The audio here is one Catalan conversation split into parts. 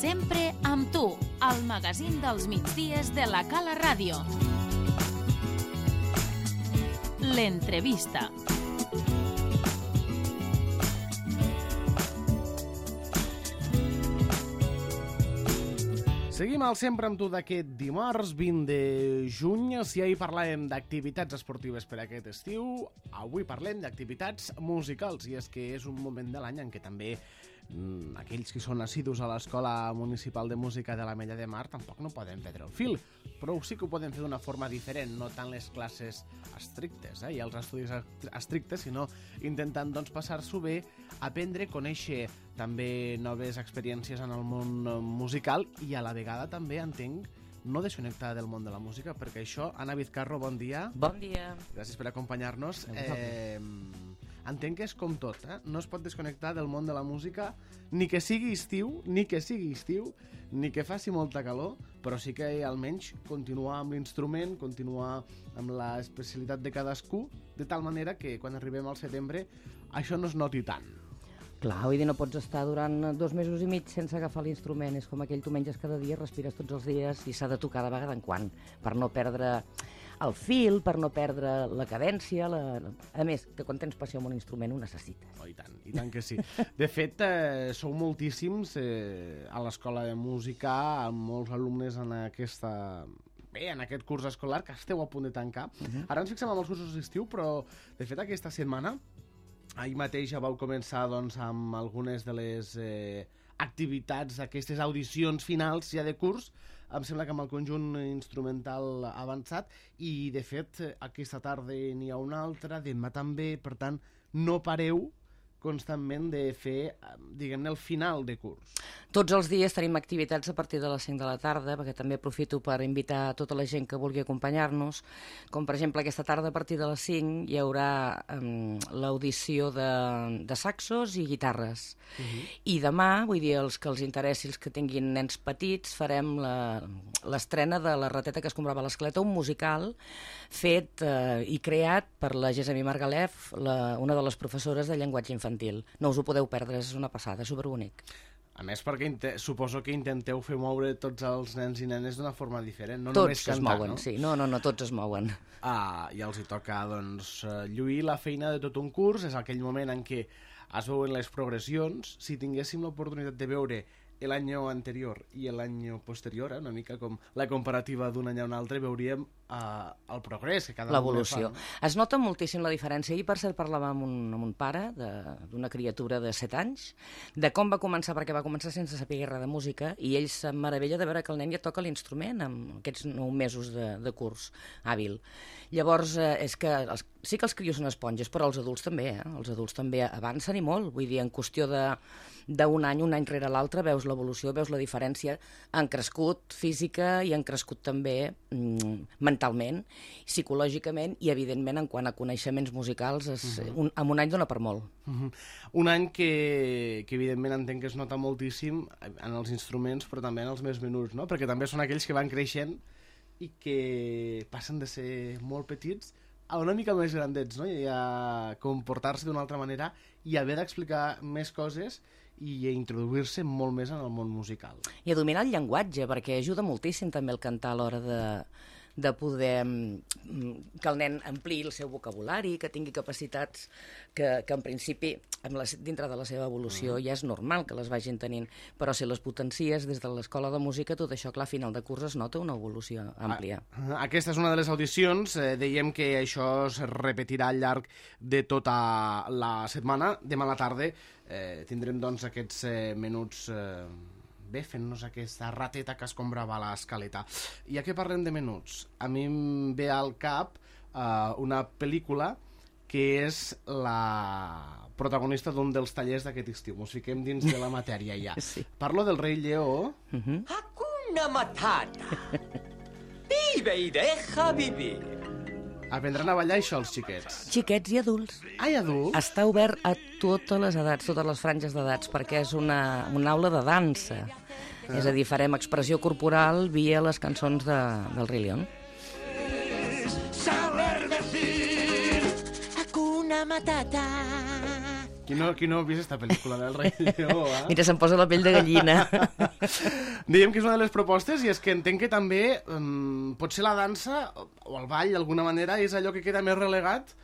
Sempre amb tu, el magazín dels migdies de la Cala Ràdio. L'entrevista. Seguim al Sempre amb tu d'aquest dimarts 20 de juny. Si ahir parlàvem d'activitats esportives per aquest estiu, avui parlem d'activitats musicals. I és que és un moment de l'any en què també aquells que són assidus a l'Escola Municipal de Música de l'Ametlla de Mar tampoc no poden perdre el fil, però sí que ho poden fer d'una forma diferent, no tant les classes estrictes i els estudis estrictes, sinó intentant passar-s'ho bé, aprendre, conèixer també noves experiències en el món musical i a la vegada també entenc no desconnectar del món de la música, perquè això, Anna Vizcarro, bon dia. Bon dia. Gràcies per acompanyar-nos. Entenc que és com tot, no es pot desconnectar del món de la música, ni que sigui estiu, ni que faci molta calor, però sí que almenys continuar amb l'instrument, continuar amb l'especialitat de cadascú, de tal manera que quan arribem al setembre això no es noti tant. Clar, vull dir, no pots estar durant 2 mesos i mig sense agafar l'instrument. És com aquell tu menges cada dia, respires tots els dies i s'ha de tocar de vegada en quan, per no perdre el fil, per no perdre la cadència. A més, que quan tens passió amb un instrument ho necessites. Oh, i tant que sí. De fet, sou moltíssims a l'Escola de Música, amb molts alumnes en en aquest curs escolar que esteu a punt de tancar. Ara ens fixem en els cursos d'estiu, però de fet aquesta setmana ahir mateix ja vau començar amb algunes de les activitats, aquestes audicions finals ja de curs, em sembla que amb el conjunt instrumental avançat, i de fet aquesta tarda n'hi ha una altra, demà també, per tant no pareu constantment de fer, diguem-ne, el final de curs. Tots els dies tenim activitats a partir de les 5 de la tarda, perquè també aprofito per invitar a tota la gent que vulgui acompanyar-nos, com per exemple aquesta tarda a partir de les 5 hi haurà l'audició de saxos i guitarres. I demà, vull dir, els que els interessi, els que tinguin nens petits, farem l'estrena de La rateta que es comprava a l'escaleta, un musical fet i creat per la Gessamí Margalef, una de les professores de llenguatge infantil. No us ho podeu perdre, és una passada, superbonic. A més, perquè suposo que intenteu fer moure tots els nens i nenes d'una forma diferent, no tots només cantar, es mouen, no? Sí, no, tots es mouen. I els hi toca, lluir la feina de tot un curs, és aquell moment en què es veuen les progressions. Si tinguéssim l'oportunitat de veure l'any anterior i l'any posterior, una mica com la comparativa d'un any a un altre, veuríem el progrés que cada l'evolució. fa. Es nota moltíssim la diferència. Ahir, per cert, parlàvem amb un pare d'una criatura de 7 anys, de com va començar, perquè va començar sense saber res de música, i ell se'n meravella de veure que el nen ja toca l'instrument amb aquests 9 mesos de curs hàbil. Llavors, és que sí que els crios són esponges, però els adults també, Els adults també avancen i molt. Vull dir, en qüestió d'un any, un any rere l'altre, veus l'evolució, veus la diferència. Han crescut física i han crescut també mentalment, psicològicament i, evidentment, en quant a coneixements musicals, en un any dona per molt. Un any que evidentment entenc que es nota moltíssim en els instruments, però també en els més menuts, no? Perquè també són aquells que van creixent i que passen de ser molt petits a una mica més grandets, no? I a comportar-se d'una altra manera i haver d'explicar més coses i a introduir-se molt més en el món musical. I a dominar el llenguatge, perquè ajuda moltíssim també el cantar a l'hora de poder que el nen ampliï el seu vocabulari, que tingui capacitats que en principi, dintre de la seva evolució, ja és normal que les vagin tenint, però si les potencies des de l'escola de música, tot això, clar, a final de curs es nota una evolució àmplia. Aquesta és una de les audicions. Dèiem que això es repetirà al llarg de tota la setmana. Demà a la tarda tindrem aquests menuts fent-nos aquesta rateta que es comprava a l'escaleta. I ja que parlem de menuts, a mi em ve al cap una pel·lícula que és la protagonista d'un dels tallers d'aquest estiu. Ens fiquem dins de la matèria ja. Sí. Parlo del Rei Lleó. Hakuna Matata. Vive y deja vivir. Aprendran a ballar això els xiquets. Xiquets i adults. Ai, adults? Està obert a totes les edats, totes les franges d'edats, perquè és una aula de dansa. És a dir, farem expressió corporal via les cançons del Rei León. Saber decir Hakuna Matata. Qui no ha vist aquesta pel·lícula del Rei Lleó, eh? Mira, se'm posa la pell de gallina. Diguem que és una de les propostes i és que entenc que també potser la dansa o el ball d'alguna manera és allò que queda més relegat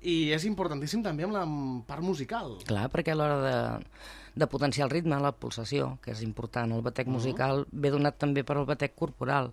i és importantíssim també amb la part musical. Clar, perquè a l'hora de potenciar el ritme, la pulsació, que és important, el batec musical ve donat també per al batec corporal.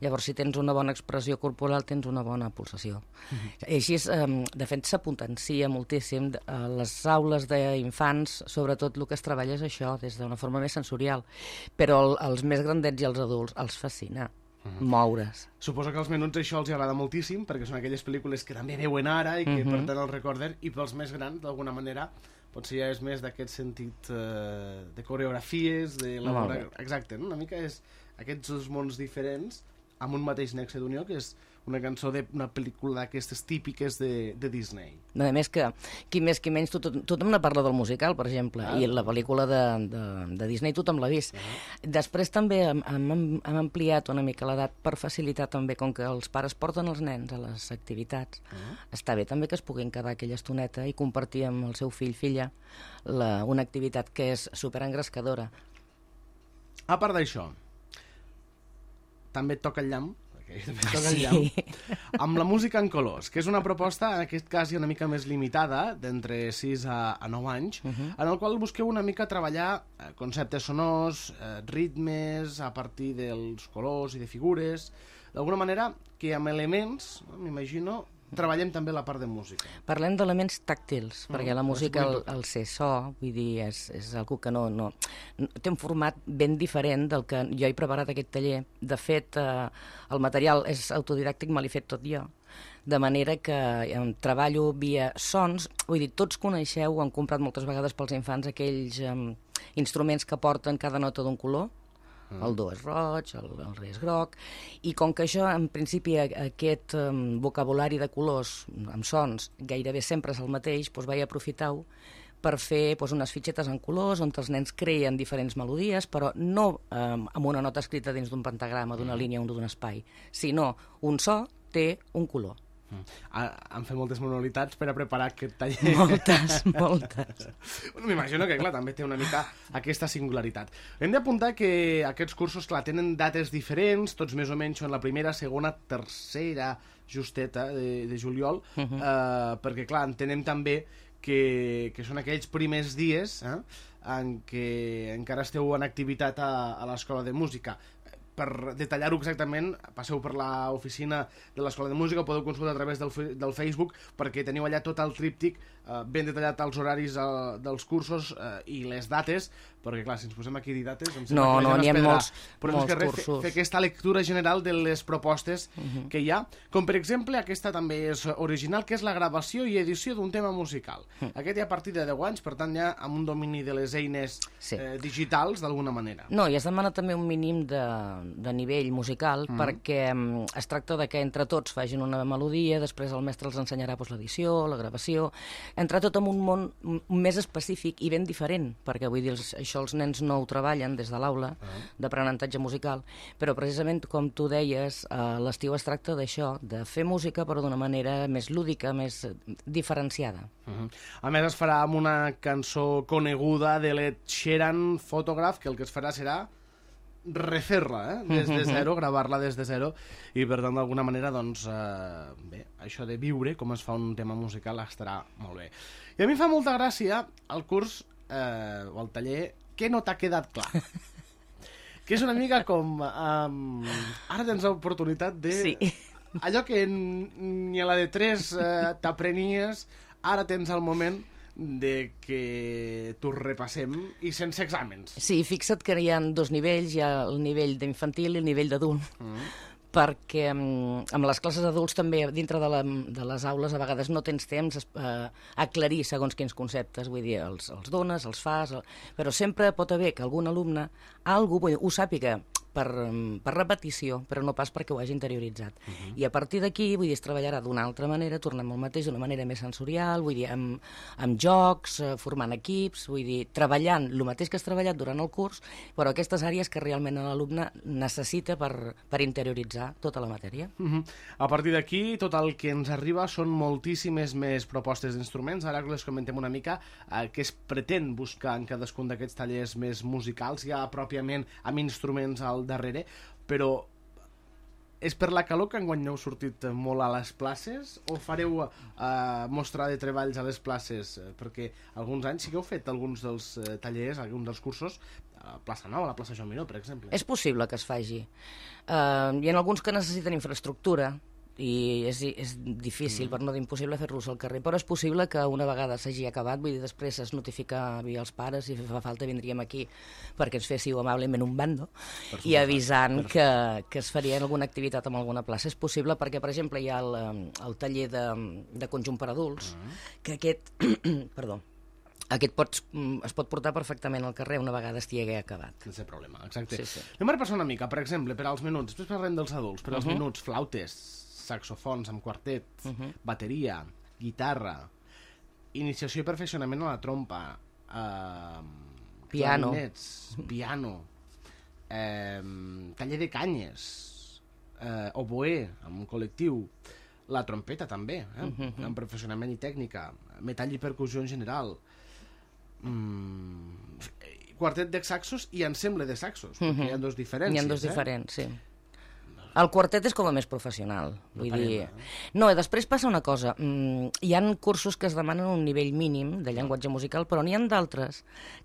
Llavors, si tens una bona expressió corporal, tens una bona pulsació. I així, de fet, se potencia moltíssim. A les aules d'infants, sobretot, el que es treballa és això, des d'una forma més sensorial. Però als més grandets i als adults els fascina moure's. Suposo que als menuts això els agrada moltíssim, perquè són aquelles pel·lícules que també veuen ara i que per tant els recorden, i pels més grans, d'alguna manera, potser ja és més d'aquest sentit de coreografies, exacte, no? Una mica és aquests dos mons diferents amb un mateix nexe d'unió, que és una cançó d'una pel·lícula d'aquestes típiques de Disney. A més que, qui més qui menys, tothom ne parla del musical, per exemple, i la pel·lícula de Disney tothom l'ha vist. Després també hem ampliat una mica l'edat per facilitar també, com que els pares porten els nens a les activitats, està bé també que es puguin quedar aquella estoneta i compartir amb el seu fill-filla una activitat que és superengrescadora. A part d'això, també et toca el llamp, amb la música en colors, que és una proposta, en aquest cas una mica més limitada, d'entre 6 a 9 anys, en el qual busqueu una mica treballar conceptes sonors, ritmes, a partir dels colors i de figures, d'alguna manera que amb elements, m'imagino, treballem també la part de música. Parlem d'elements tàctils, perquè la música, el ser so, vull dir, és algo que no té un format ben diferent del que jo he preparat aquest taller. De fet, el material és autodidàctic, me l'he fet tot jo. De manera que treballo via sons, vull dir, tots coneixeu, han comprat moltes vegades pels infants aquells instruments que porten cada nota d'un color. El do és roig, el re és groc, i com que això, en principi, aquest vocabulari de colors amb sons gairebé sempre és el mateix, doncs vaig aprofitar-ho per fer unes fitxetes en colors on els nens creen diferents melodies, però no amb una nota escrita dins d'un pentagrama, d'una línia o d'un espai, sinó un so té un color. Han fet moltes manualitats per a preparar aquest taller. Moltes. M'imagino que, clar, també té una mica aquesta singularitat. Hem d'apuntar que aquests cursos, clar, tenen dates diferents, tots més o menys en la primera, segona, tercera justeta de juliol, perquè, clar, entenem també que són aquells primers dies en què encara esteu en activitat a l'Escola de Música. Per detallar-ho exactament, passeu per l'oficina de l'Escola de Música, ho podeu consultar a través del Facebook, perquè teniu allà tot el tríptic ben detallat, els horaris dels cursos i les dates, perquè clar, si ens posem aquí a dir dates em sembla que n'hi ha molts cursos. Fer aquesta lectura general de les propostes que hi ha, com per exemple aquesta també és original, que és la gravació i edició d'un tema musical. Aquest ja a partir de 10 anys, per tant ja amb un domini de les eines digitals d'alguna manera. No, i es demana també un mínim de nivell musical, perquè es tracta de que entre tots facin una melodia, després el mestre els ensenyarà l'edició, la gravació, entre tot en un món més específic i ben diferent, perquè vull dir, això els nens no ho treballen des de l'aula d'aprenentatge musical, però precisament com tu deies, l'estiu es tracta d'això, de fer música però d'una manera més lúdica, més diferenciada. A més es farà amb una cançó coneguda de l'Ed Sheeran, Photograph, que el que es farà serà refer-la des de zero, gravar-la des de zero, i per tant d'alguna manera doncs bé, això de viure com es fa un tema musical estarà molt bé. I a mi fa molta gràcia el curs o el taller que no t'ha quedat clar, que és una mica com ara tens l'oportunitat de allò que ni a la de 3 t'aprenies, ara tens el moment de que t'ho repassem i sense exàmens. Sí, fixa't que hi ha dos nivells, hi ha el nivell d'infantil i el nivell d'adult, perquè amb les classes d'adults també dintre de les aules a vegades no tens temps a aclarir segons quins conceptes, vull dir, els dones, els fas, però sempre pot haver que algun alumne ho sàpiga per repetició, però no pas perquè ho hagi interioritzat. I a partir d'aquí, vull dir, es treballarà d'una altra manera, tornem al mateix, d'una manera més sensorial, vull dir, amb jocs, formant equips, vull dir, treballant el mateix que has treballat durant el curs, però aquestes àrees que realment l'alumne necessita per interioritzar tota la matèria. A partir d'aquí, tot el que ens arriba són moltíssimes més propostes d'instruments. Ara les comentem una mica què es pretén buscar en cadascun d'aquests tallers més musicals, ja pròpiament amb instruments al darrere, però és per la calor que enguany heu sortit molt a les places o fareu mostra de treballs a les places? Perquè alguns anys sí que heu fet alguns dels tallers, alguns dels cursos a Plaça Nova, a la plaça Joan Miró, per exemple. És possible que es faci. Hi ha alguns que necessiten infraestructura i és difícil, per no dir impossible, fer-los al carrer, però és possible que una vegada s'hagi acabat, vull dir, després es notificava als pares i si fa falta vindríem aquí perquè ens féssiu amablement un bando i avisant que es faria alguna activitat en alguna plaça. És possible perquè, per exemple, hi ha el taller de conjunt per adults, que aquest perdó, aquest es pot portar perfectament al carrer una vegada estigui acabat. Sense problema, exacte. Sí. Anem a repassar una mica, per exemple, per als menuts, després parlem dels adults, per als menuts, flautes, saxofons amb quartet, bateria, guitarra, iniciació i perfeccionament a la trompa, piano, taller de canyes, oboè, amb un col·lectiu, la trompeta també, amb perfeccionament i tècnica, metall i percussió en general, quartet de saxos i ensemble de saxos, perquè hi ha dos diferències. Hi ha dos diferents, sí. El quartet és com a més professional. Vull dir... No, després passa una cosa. Hi ha cursos que es demanen un nivell mínim de llenguatge musical, però n'hi ha d'altres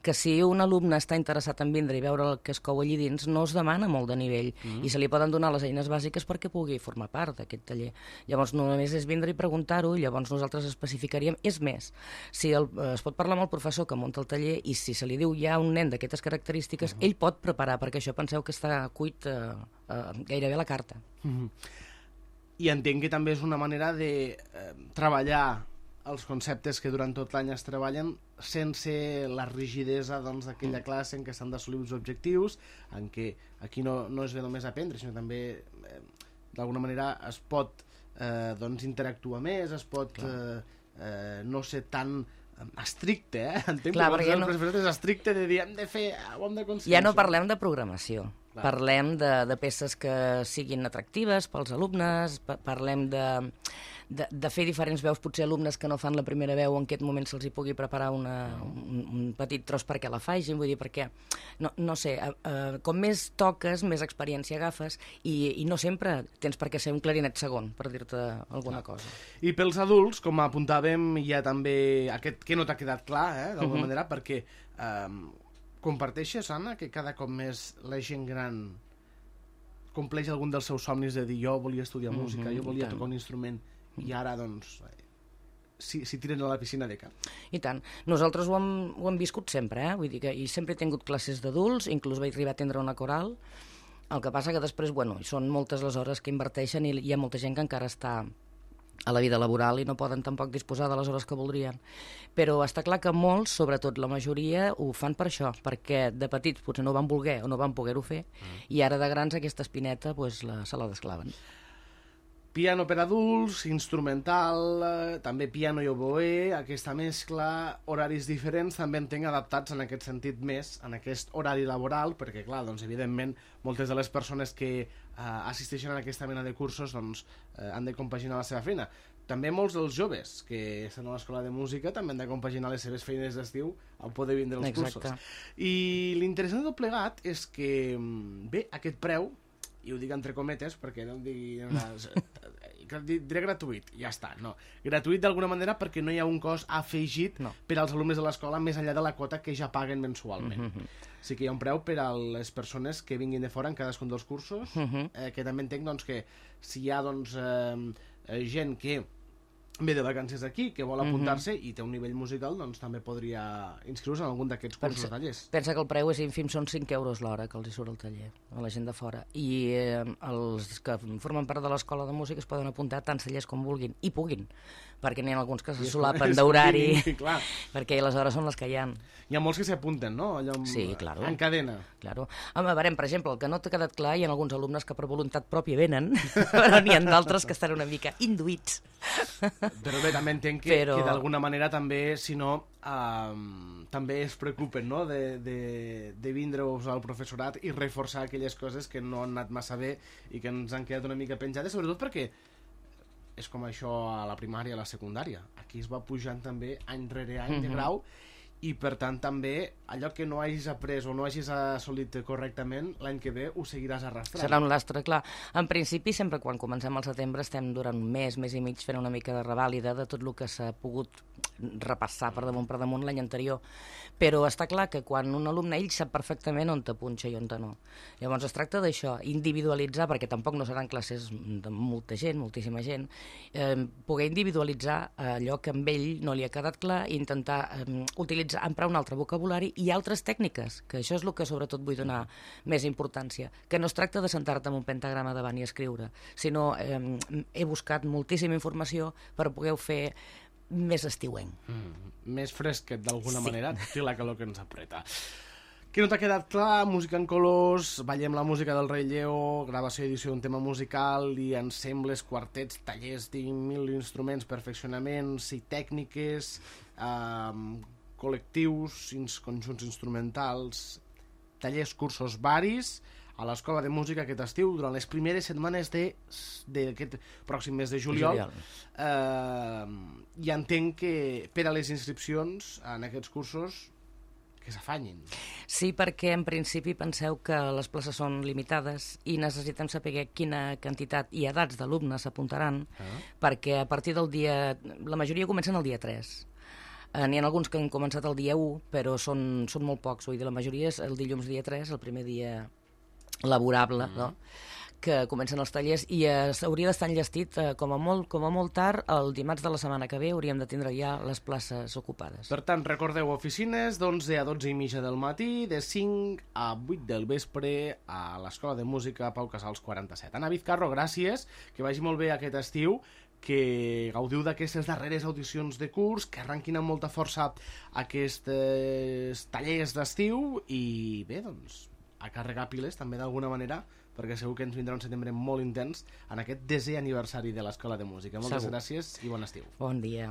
que si un alumne està interessat en vindre i veure el que es cou allí dins, no es demana molt de nivell i se li poden donar les eines bàsiques perquè pugui formar part d'aquest taller. Llavors només és vindre i preguntar-ho, llavors nosaltres especificaríem. És més, si es pot parlar amb el professor que munta el taller i si se li diu hi ha un nen d'aquestes característiques, ell pot preparar, perquè això penseu que està cuit gairebé a la carta. I entenc que també és una manera de treballar els conceptes que durant tot l'any es treballen sense la rigidesa d'aquella classe en què s'han d'assolir uns objectius, en què aquí no es ve només a aprendre, sinó també d'alguna manera es pot interactuar més, es pot no ser tan estricte, entenc que el professor és estricte de dir hem de fer, ho hem d'aconseguir. Ja no parlem de programació. Parlem de peces que siguin atractives pels alumnes, parlem de fer diferents veus, potser alumnes que no fan la primera veu, en aquest moment se'ls hi pugui preparar un petit tros perquè la facin, vull dir, perquè, no sé, com més toques, més experiència agafes i no sempre tens per què ser un clarinet segon, per dir-te alguna cosa. I pels adults, com apuntàvem, hi ha també aquest que no t'ha quedat clar, d'alguna manera, perquè comparteixes, Anna, que cada cop més la gent gran compleix algun dels seus somnis de dir jo volia estudiar música, jo volia tocar un instrument i ara, doncs, s'hi tiren a la piscina de cap. I tant. Nosaltres ho hem viscut sempre, vull dir que sempre he tingut classes d'adults, inclús vaig arribar a atendre una coral, el que passa que després, són moltes les hores que inverteixen i hi ha molta gent que encara està a la vida laboral i no poden tampoc disposar de les hores que voldrien. Però està clar que molts, sobretot la majoria, ho fan per això, perquè de petits potser no van voler o no van poder-ho fer, i ara de grans aquesta espineta se la desclaven. Piano per adults, instrumental, també piano i oboè, aquesta mescla, horaris diferents, també entenc adaptats en aquest sentit més, en aquest horari laboral, perquè, clar, doncs, evidentment, moltes de les persones que assisteixen a aquesta mena de cursos doncs, han de compaginar la seva feina. També molts dels joves que estan a l'escola de música també han de compaginar les seves feines d'estiu al poder vindre als cursos. I l'interessant de tot plegat és que, bé, aquest preu, i ho dic entre cometes perquè no digui diré gratuït, ja està, no, gratuït d'alguna manera perquè no hi ha un cost afegit per als alumnes de l'escola més enllà de la quota que ja paguen mensualment. Sí que hi ha un preu per a les persones que vinguin de fora en cadascun dels cursos, que també entenc doncs, que si hi ha gent que ve de vacances aquí, que vol apuntar-se i té un nivell musical, doncs també podria inscriure-se en algun d'aquests cursos o tallers. Pensa que el preu és ínfim, són 5 euros l'hora que els hi surt al taller, a la gent de fora. I els que formen part de l'escola de música es poden apuntar a tants tallers com vulguin, i puguin, perquè n'hi ha alguns que se solapen d'horari, perquè les hores són les que hi ha. Hi ha molts que s'apunten, no? Allò sí, claro. En cadena. Claro. Home, a veure, per exemple, el que no t'ha quedat clar, hi ha alguns alumnes que per voluntat pròpia venen, però n'hi ha d'altres que estan una mica induïts. Però bé, també entenc que d'alguna manera també, si no, també es preocupen, no?, de vindre-us al professorat i reforçar aquelles coses que no han anat massa bé i que ens han quedat una mica penjades, sobretot perquè és com això a la primària i a la secundària. Aquí es va pujant també any rere any de grau i per tant també allò que no hagis après o no hagis assolit correctament l'any que ve ho seguiràs arrastrant. Serà un lastre, clar. En principi, sempre quan comencem al setembre estem durant un mes i mig fent una mica de revàlida de tot el que s'ha pogut repassar per damunt l'any anterior. Però està clar que quan un alumne, ell sap perfectament on te punxa i on te no. Llavors es tracta d'això, individualitzar, perquè tampoc no seran classes de molta gent, moltíssima gent, poder individualitzar allò que amb ell no li ha quedat clar i intentar emprar un altre vocabulari i altres tècniques, que això és el que sobretot vull donar més importància, que no es tracta de sentar-te amb un pentagrama davant i escriure, sinó he buscat moltíssima informació per poder fer més estiuenc. Més fresquet, d'alguna manera, té la calor que ens apreta. Què no t'ha quedat clar? Música en colors, ballem la música del Rei Lleó, gravació i edició d'un tema musical i ensembles, quartets, tallers de 1000 instruments, perfeccionaments i tècniques, col·lectius, conjunts instrumentals, tallers, cursos varis a l'Escola de Música aquest estiu durant les primeres setmanes d'aquest pròxim mes de juliol. I entenc que per a les inscripcions en aquests cursos que s'afanyin. Sí, perquè en principi penseu que les places són limitades i necessitem saber quina quantitat i edats d'alumnes s'apuntaran, perquè a partir del dia... La majoria comencen el dia 3. N'hi ha alguns que han començat el dia 1, però són molt pocs. Vull dir, la majoria és el dilluns dia 3, el primer dia laborable, no?, que comencen els tallers, i hauria d'estar enllestit com a molt tard el dimarts de la setmana que ve hauríem de tindre ja les places ocupades. Per tant, recordeu, oficines d'11 a 12 i mitja del matí, de 5 a 8 del vespre a l'Escola de Música Pau Casals 47. Anna Vizcarro, gràcies, que vagi molt bé aquest estiu, que gaudiu d'aquestes darreres audicions de curs, que arranquin amb molta força aquests tallers d'estiu i bé, doncs, a carregar piles també d'alguna manera, perquè segur que ens vindrà un setembre molt intens en aquest 10è aniversari de l'Escola de Música. Moltes gràcies i bon estiu. Bon dia.